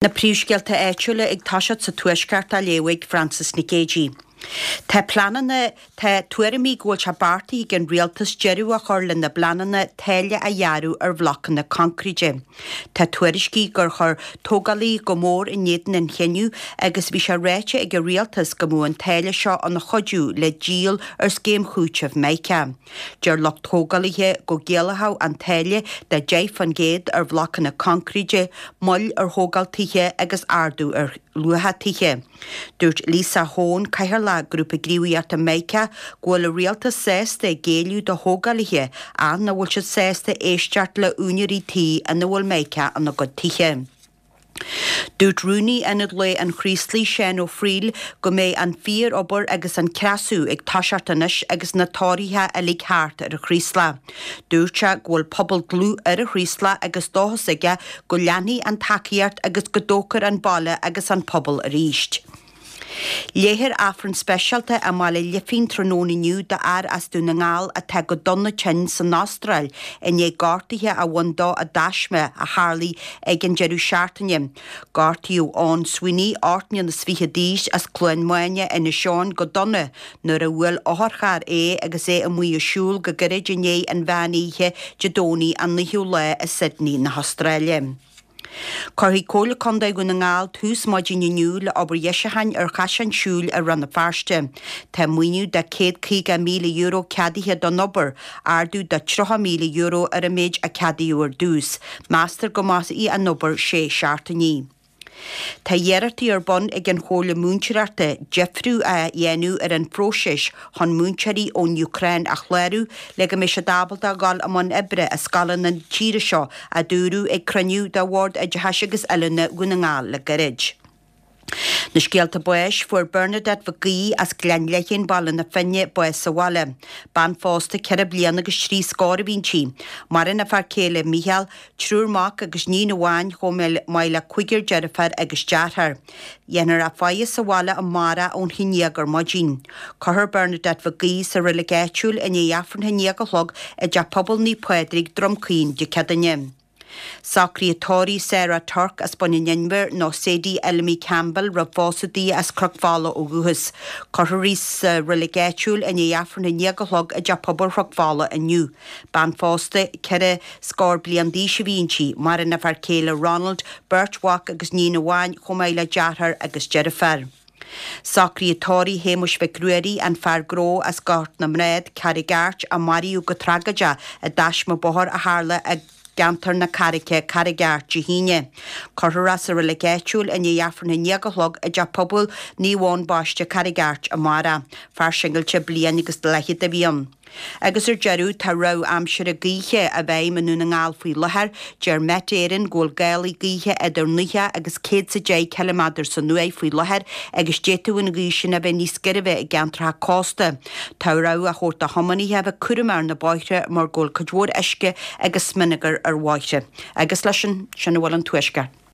Na príomhscéalta áitiúla ag toiseacht sa Tuaisceart á léamh ag Frances Nic Géadaigh. Tá pleananna, tá tuairimí go bhfuil sé beartaithe ag an Rialtas deireadh a chur lena bpleananna táille a ghearradh ar bhlocanna coincréite. Tá tuairiscí gur chuir tógálaithe go mór in éadan an chinnidh agus bhí sé ráite ag an Rialtas go mbeadh an táille seo ina chuidiú le díol ar scéim chúitimh Mica. Deir lucht tógálaithe go gciallódh an táille de 10% ar bhlocanna coincréite, moill ar thógáil tithe agus ardú ar luacha tithe. Dúirt Lisa Hoane, Cathaoirleach Grúpa Gníomhaíochta Mica, go bhfuil an rialtas sásta géilleadh do thógálaithe ach nach bhfuil siad sásta éisteacht le úinéirí tí ina bhfuil Mica ina gcuid tithe. Dúirt Rúnaí Ionad Lae an Chraoslaigh, Seán Ó Frighil, go mbeidh an fíor-obair agus an creasadh ag toiseacht anois agus na torthaithe uilig thart ar an Chraoslach. Dúirt sé go bhfuil pobal dlúth ar an Chraoslach agus dóchas aige go leanfaidh an tacaíocht agus go dtógfar an baile agus an pobal arís. Léifear Aifreann speisialta i mBaile Lifín tráthnóna inniu d'fhear as Dún na nGall atá go dona tinn san Astráil i ndiaidh gortuithe a bhain dó i dtaisme a tharlaigh ag an deireadh seachtaine. Gortaíodh Eoin Sweeney, 28 mbliana d'aois, as Cluain Maine, Inis Eoghain, go dona nuair a bhuail otharcharr é agus é amuigh ag siúl go gairid i ndiaidh an mheán oíche Dé Domhnaigh an 9ú lá i Sydney na hAstráile. Cuirfidh Comhairle Contae Dhún na nGall tús maidin inniu le obair dheisiúcháin ar chaiseán siúil i Rann na Feirste. Tá maoiniú de €150,000 ceadaithe don obair, ardú de €30,000 ar an méid a ceadaíodh ar dtús. Meastar go mairfidh an obair sé seachtainí. Tá iarrachtaí ar bun ag an Chomhairle Múinteoireachta deifriú a dhéanamh ar an phróiseas chun múinteoirí ón Úcráin a chlárú le go mbeidh siad ábalta a dhul i mbun oibre i scoileanna na tíre seo, a dúradh ag cruinniú de Bhord Oideachais agus Oiliúna Dhún na nGall le gairid. Na scéalta báis, Fuair Bernadette Mhic Aoidh as Gleann Leithghéin, Baile na Finne, bás sa bhaile. Bean phósta ceithre bliana agus trí scór a bhí inti. Maireann a fear céile Mícheál, triúr mac agus níon amháin chomh maith le cúigear deirféar agus deartháir. Dhéanfar a faire sa bhaile amárach ón haon dhéag ar maidin. Cuirfear Bernadette Mhic Aoidh sa reilig áitiúil i ndiaidh Aifreann a haon dhéag a chlog i dTeach Pobail Naomh Pádraig, Droim Caoin, Dé Céadaoine. Socruithe tórraimh Sarah Turk as Bun an Inbhir nó Sadie Elmy Campbell roimh phósadh di as Cnoc Fola ó dhúchas. Cuirfear í sa reilig áitiúil i ndiaidh Aifreann a haon dhéag a chlog i dTeach Pobail Chnoc Fola inniu. Bean phósta, 4 scór bliain d'aois a bhí inti. Maireann a fear céile Ronald, beirt mhac agus níon amháin, chomh maith le deartháir agus deirfiúr. Socruithe tórraimh Shéamuis Mhic Ruairí, an fear gnó as Gort na mBrád, Carraig Airt, a maraíodh go tragóideach i dtaisme bóthair a tharla i gceantar na Carraice, Carraig Airt, Dé hAoine. Cuirfear é sa reilig áitiúil i ndiaidh Aifreann a haon dhéag a chlog i dTeach Pobail Naomh Eoin Baiste, Carraig Airt, amárach. Fear singilte bliain agus leathchéad a bhí ann. Agus ar deireadh, tá rabhadh aimsire gaoithe i bhfeidhm i nDún na nGall faoi láthair. Deir Met Éireann go bhfuil gálaí gaoithe idir 90 agus 110 ciliméadar san uair faoi láthair agus d'fhéadfadh an ghaoth sin a bheith níos girbhe i gceantracha cósta. Tá rabhadh á thabhairt do thiománaithe a bheith cúramach ar na bóithre mar go bhfuil cuid mhór uisce agus smionagar ar bhóithre. Agus leis sin, sin a bhfuil ón Tuaisceart.